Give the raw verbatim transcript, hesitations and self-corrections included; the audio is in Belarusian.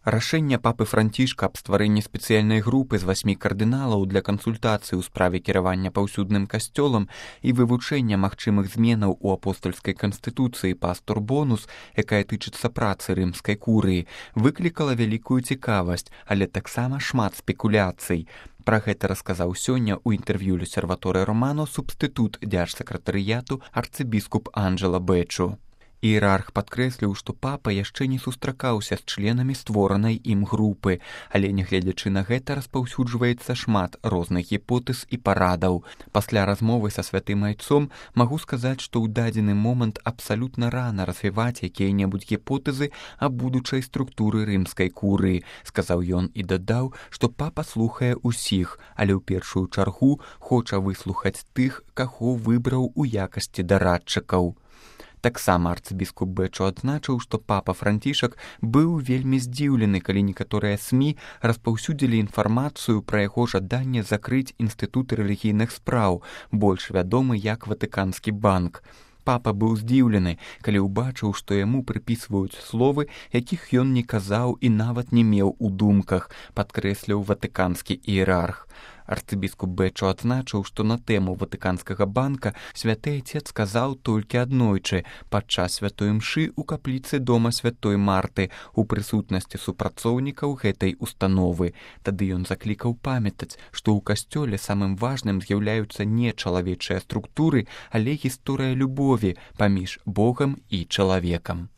Рашэнне папы Францішка аб стварэнні спецыяльнай групы з васьмі кардыналаў для кансультацыі ў справе кіравання паўсюдным касцёлам і вывучэння магчымых зменаў у апостальскай канстытуцыі пастор бонус, якая тычыцца працы рымскай курыі, выклікала вялікую цікавасць, але таксама шмат спекуляцый. Пра гэта расказаў сёння ў інтэрв'ю L'Osservatore Romano субстытут дзяржсакратарыяту арцыбіскуп Анджела Бэчу. Іерарх падкрэсліў, што папа яшчэ не сустракаўся з членамі створанай ім групы, але нягледзячы на гэта распаўсюджваецца шмат розных гіпотэз і парадаў. Пасля размовы са святым айцом магу сказаць, што ў дадзены момант абсалютна рана развіваць якія-небудзь гіпотэзы аб будучай структуры рымскай курыі, сказаў ён і дадаў, што папа слухае ўсіх, але ў першую чаргу хоча выслухаць тых, каго выбраў у якасці дарадчыкаў. Таксама арцыбіскуп Бэчу адзначыў, што папа Францішак быў вельмі здзіўлены, калі некаторыя СМІ распаўсюдзілі інфармацыю пра яго жаданне закрыць інстытут рэлігійных спраў, больш вядомы як Ватыканскі банк. Папа быў здзіўлены, калі ўбачыў, што яму прыпісваюць словы, якіх ён не казаў і нават не меў у думках, падкрэсліў ватыканскі іерарх. Арцыбіскуп Бэчу адзначыў, што на тэму Ватыканскага банка святы айцец сказаў толькі аднойчы падчас святой мшы ў капліцы дома святой Марты у прысутнасці супрацоўнікаў гэтай установы. Тады ён заклікаў памятаць, што ў касцёле самым важным з'яўляюцца не чалавечыя структуры, але гісторыя любові паміж Богам і чалавекам.